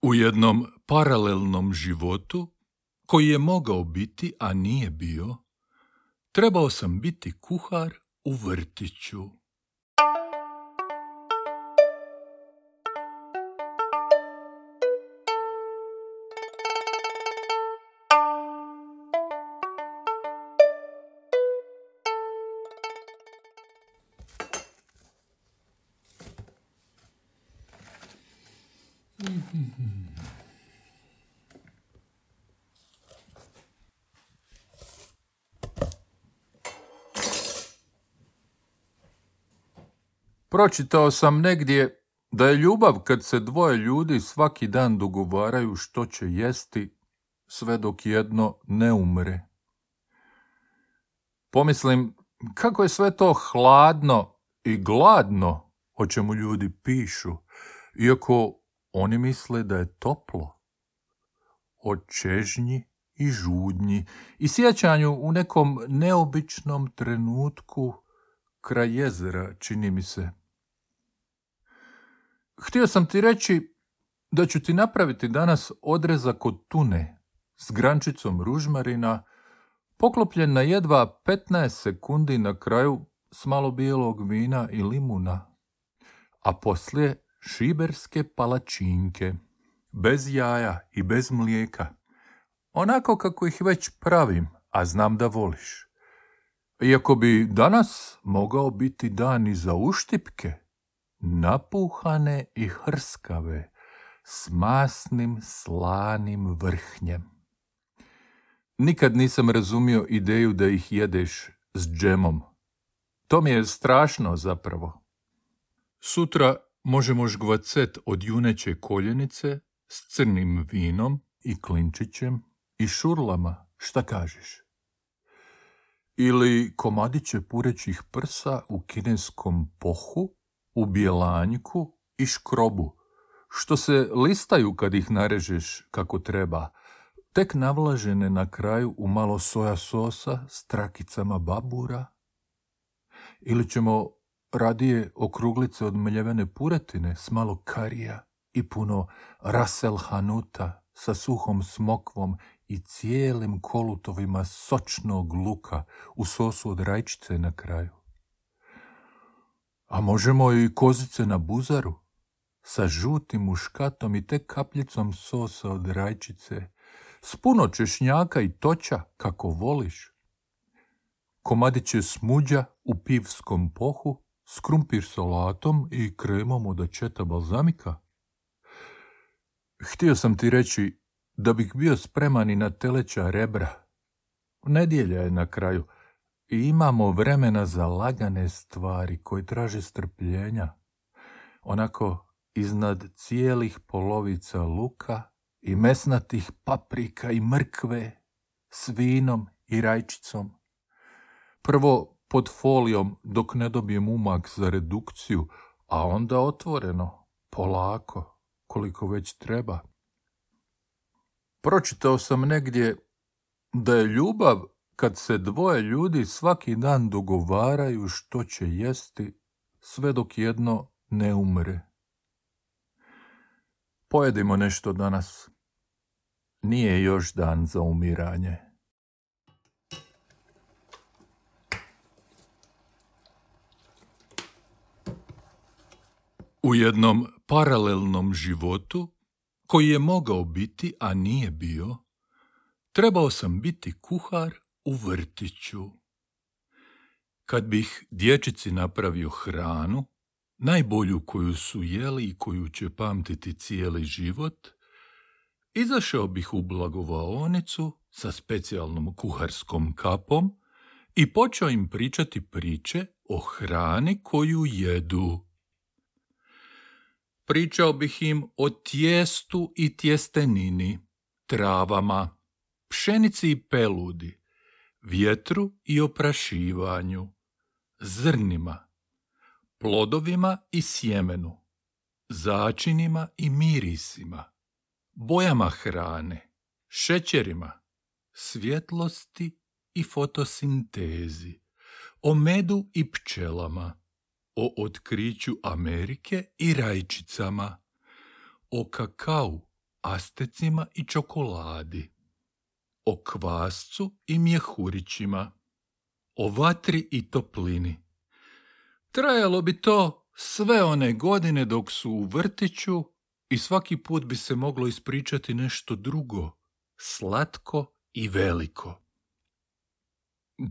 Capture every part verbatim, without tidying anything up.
U jednom paralelnom životu, koji je mogao biti, a nije bio, trebao sam biti kuhar u vrtiću. Pročitao sam negdje da je ljubav kad se dvoje ljudi svaki dan dogovaraju što će jesti, sve dok jedno ne umre. Pomislim, kako je sve to hladno i gladno o čemu ljudi pišu, iako oni misle da je toplo. O čežnji i žudnji i sjećanju u nekom neobičnom trenutku kraj jezera, čini mi se. Htio sam ti reći da ću ti napraviti danas odrezak od tune s grančicom ružmarina, poklopljen na jedva petnaest sekundi na kraju s malo bijelog vina i limuna, a poslije šiberske palačinke, bez jaja i bez mlijeka, onako kako ih već pravim, a znam da voliš. Iako bi danas mogao biti dan i za uštipke, napuhane i hrskave, s masnim slanim vrhnjem. Nikad nisam razumio ideju da ih jedeš s džemom. To mi je strašno zapravo. Sutra možemo žgvacet od juneće koljenice s crnim vinom i klinčićem i šurlama, šta kažeš? Ili komadiće purećih prsa u kineskom pohu, u bjelanjku i škrobu, što se listaju kad ih narežeš kako treba, tek navlažene na kraju u malo soja sosa s trakicama babura. Ili ćemo radije okruglice od mljevene puretine s malo karija i puno rasel hanuta sa suhom smokvom i cijelim kolutovima sočnog luka u sosu od rajčice na kraju. A možemo i kozice na buzaru sa žutim muškatom i tek kapljicom sosa od rajčice, s puno češnjaka i toća kako voliš. Komadiće smuđa u pivskom pohu s krumpir salatom i kremom od ačeta balzamika. Htio sam ti reći da bih bio spreman i na teleća rebra. Nedjelja je na kraju i imamo vremena za lagane stvari koje traže strpljenja. Onako iznad cijelih polovica luka i mesnatih paprika i mrkve s vinom i rajčicom. Prvo pod folijom dok ne dobijem umak za redukciju, a onda otvoreno, polako, koliko već treba. Pročitao sam negdje da je ljubav kad se dvoje ljudi svaki dan dogovaraju što će jesti, sve dok jedno ne umre. Pojedimo nešto danas. Nije još dan za umiranje. U jednom paralelnom životu, koji je mogao biti, a nije bio, trebao sam biti kuhar u vrtiću. Kad bih dječici napravio hranu, najbolju koju su jeli i koju će pamtiti cijeli život, izašao bih u blagovaonicu sa specijalnom kuharskom kapom i počeo im pričati priče o hrani koju jedu. Pričao bih im o tijestu i tjestenini, travama, pšenici i peludi, vjetru i oprašivanju, zrnima, plodovima i sjemenu, začinima i mirisima, bojama hrane, šećerima, svjetlosti i fotosintezi, o medu i pčelama, o otkriću Amerike i rajčicama, o kakau, astecima i čokoladi, o kvascu i mjehurićima, o vatri i toplini. Trajalo bi to sve one godine dok su u vrtiću i svaki put bi se moglo ispričati nešto drugo, slatko i veliko.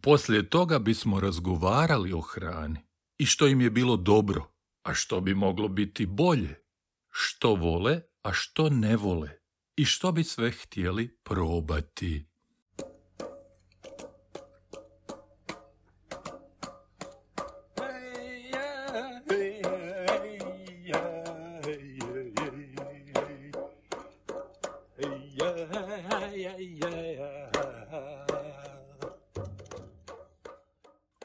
Poslije toga bismo razgovarali o hrani i što im je bilo dobro, a što bi moglo biti bolje, što vole, a što ne vole i što bi sve htjeli probati.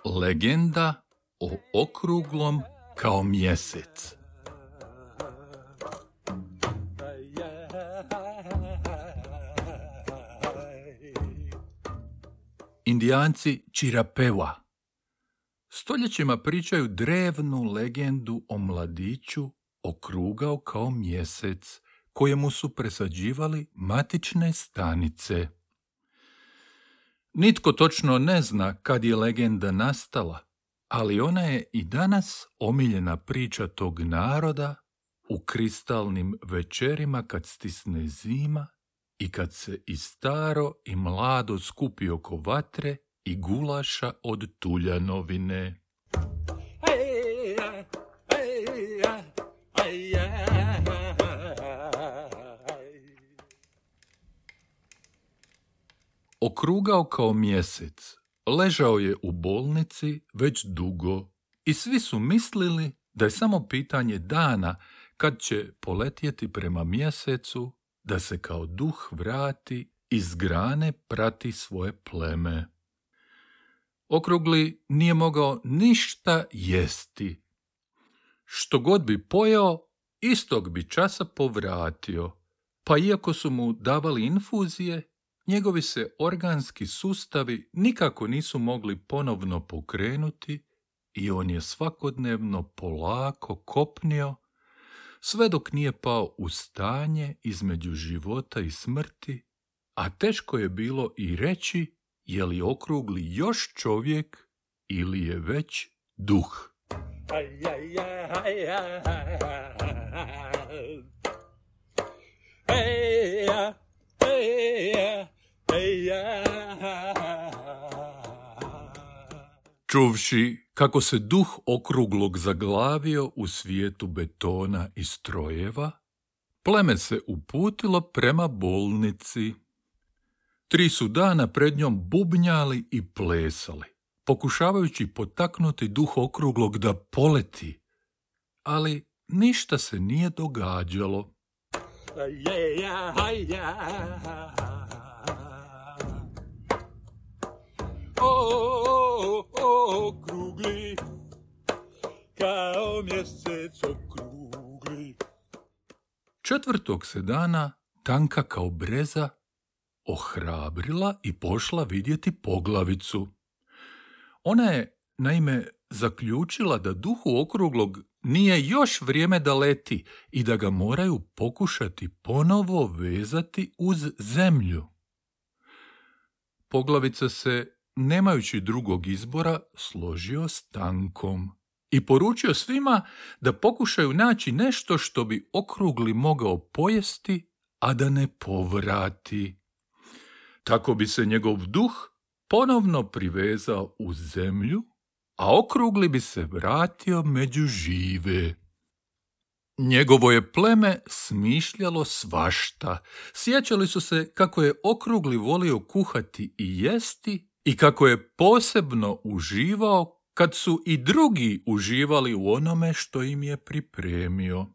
Legenda o okruglom kao mjesec. Indijanci Čirapeva stoljećima pričaju drevnu legendu o mladiću okrugao kao mjesec, kojemu su presađivali matične stanice. Nitko točno ne zna kad je legenda nastala, ali ona je i danas omiljena priča tog naroda u kristalnim večerima kad stisne zima i kad se i staro i mlado skupi oko vatre i gulaša od tuljanovine. Okrugao kao mjesec, ležao je u bolnici već dugo i svi su mislili da je samo pitanje dana kad će poletjeti prema mjesecu, da se kao duh vrati i s grane prati svoje pleme. Okrugli nije mogao ništa jesti. Što god bi pojeo, istog bi časa povratio, pa iako su mu davali infuzije, njegovi se organski sustavi nikako nisu mogli ponovno pokrenuti i on je svakodnevno polako kopnio, sve dok nije pao u stanje između života i smrti, a teško je bilo i reći je li okrugli još čovjek ili je već duh. Čuvši kako se duh okruglog zaglavio u svijetu betona i strojeva, pleme se uputilo prema bolnici. Tri su dana pred njom bubnjali i plesali, pokušavajući potaknuti duh okruglog da poleti, ali ništa se nije događalo. O, okrugli, kao mjesec okrugli. Četvrtog se dana tanka kao breza ohrabrila i pošla vidjeti poglavicu. Ona je, naime, zaključila da duhu okruglog nije još vrijeme da leti i da ga moraju pokušati ponovo vezati uz zemlju. Poglavica se, nemajući drugog izbora, složio s tankom i poručio svima da pokušaju naći nešto što bi okrugli mogao pojesti, a da ne povrati. Tako bi se njegov duh ponovno privezao uz zemlju, a okrugli bi se vratio među žive. Njegovo je pleme smišljalo svašta. Sjećali su se kako je okrugli volio kuhati i jesti i kako je posebno uživao kad su i drugi uživali u onome što im je pripremio.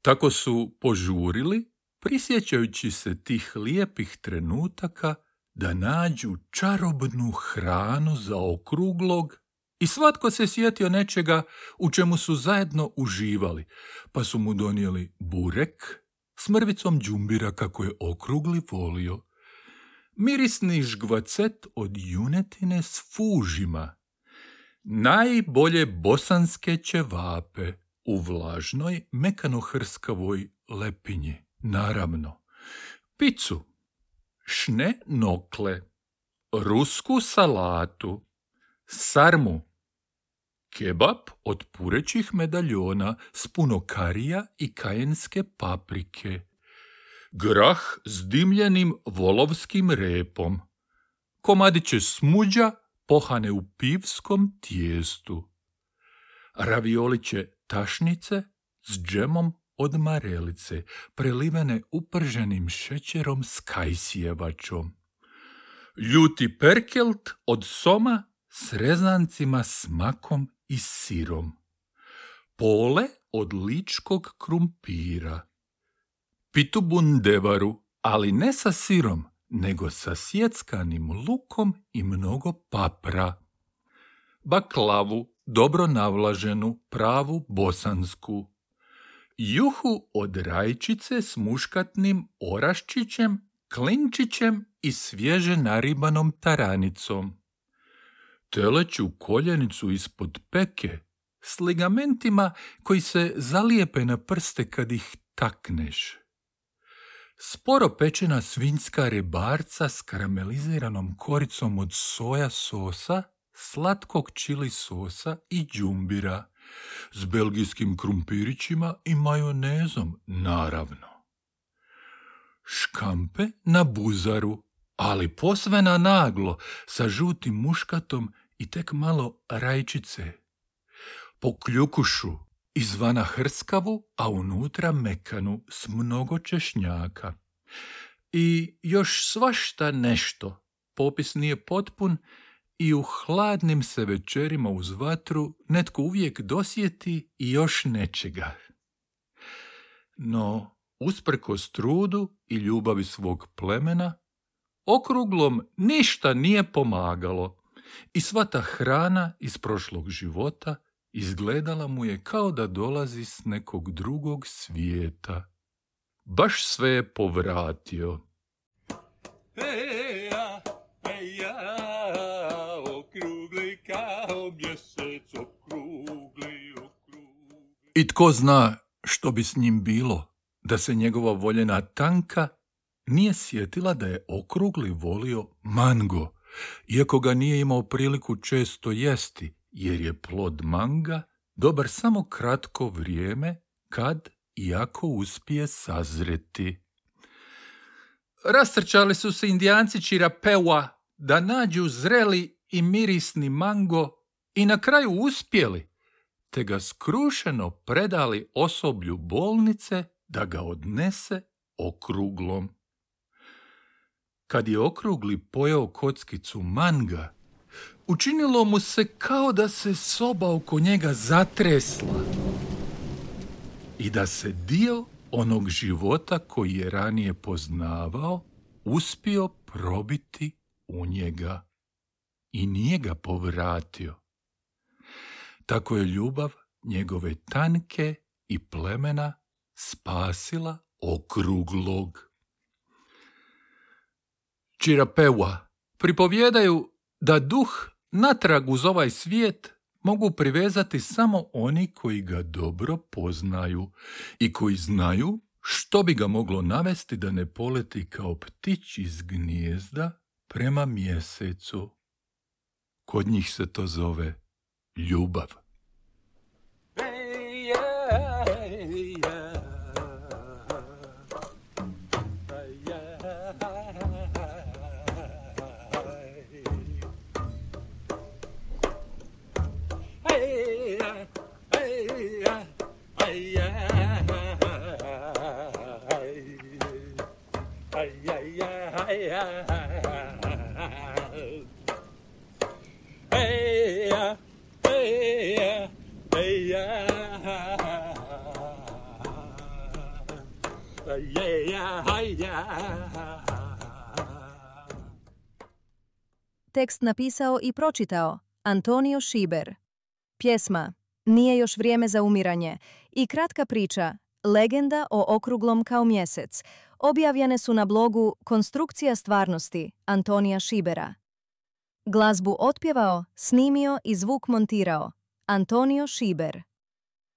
Tako su požurili, prisjećajući se tih lijepih trenutaka, da nađu čarobnu hranu za okruglog i svatko se sjetio nečega u čemu su zajedno uživali, pa su mu donijeli burek s mrvicom đumbira kako je okrugli volio, mirisni žgvacet od junetine s fužima, najbolje bosanske ćevape u vlažnoj mekano-hrskavoj lepinji naravno, picu, šne nokle, rusku salatu, sarmu, kebab od purećih medaljona s puno karija i kajenske paprike, grah s dimljenim volovskim repom, komadiće smuđa pohane u pivskom tijestu, ravioliće tašnice s džemom od marelice, prelivene uprženim šećerom s kajsijevačom, ljuti perkelt od soma s rezancima s makom i sirom, pole od ličkog krumpira, pitu bundevaru, ali ne sa sirom, nego sa sjeckanim lukom i mnogo papra, baklavu, dobro navlaženu, pravu bosansku, juhu od rajčice s muškatnim oraščićem, klinčićem i svježe naribanom taranicom, teleću koljenicu ispod peke s ligamentima koji se zalijepe na prste kad ih takneš, sporo pečena svinjska rebarca s karameliziranom koricom od soja sosa, slatkog čili sosa i džumbira, s belgijskim krumpirićima i majonezom, naravno. Škampe na buzaru, ali posve na naglo, sa žutim muškatom i tek malo rajčice. Po kljukušu, izvana hrskavu, a unutra mekanu s mnogo češnjaka. I još svašta nešto. Popis nije potpun i u hladnim se večerima uz vatru netko uvijek dosjeti i još nečega. No, usprkos trudu i ljubavi svog plemena, okruglom ništa nije pomagalo i sva ta hrana iz prošlog života izgledala mu je kao da dolazi s nekog drugog svijeta. Baš sve je povratio. Eja, eja, okrugli kao mjesec, okrugli, okrugli. I tko zna što bi s njim bilo, da se njegova voljena Tanka nije sjetila da je okrugli volio mango, iako ga nije imao priliku često jesti, jer je plod manga dobar samo kratko vrijeme kad i ako uspije sazreti. Rastrčali su se Indijanci Čirapeua da nađu zreli i mirisni mango i na kraju uspjeli, te ga skrušeno predali osoblju bolnice da ga odnese okruglom. Kad je okrugli pojeo kockicu manga, učinilo mu se kao da se soba oko njega zatresla i da se dio onog života koji je ranije poznavao uspio probiti u njega i nije ga povratio. Tako je ljubav njegove Tanke i plemena spasila okruglog. Čirapeua pripovjedaju da duh natrag uz ovaj svijet mogu privezati samo oni koji ga dobro poznaju i koji znaju što bi ga moglo navesti da ne poleti kao ptić iz gnijezda prema mjesecu. Kod njih se to zove ljubav. Tekst napisao i pročitao Antonio Šiber. Pjesma Nije još vrijeme za umiranje i kratka priča Legenda o okruglom kao mjesec objavljene su na blogu Konstrukcija stvarnosti Antonija Šibera. Glazbu otpjevao, snimio i zvuk montirao Antonio Šiber.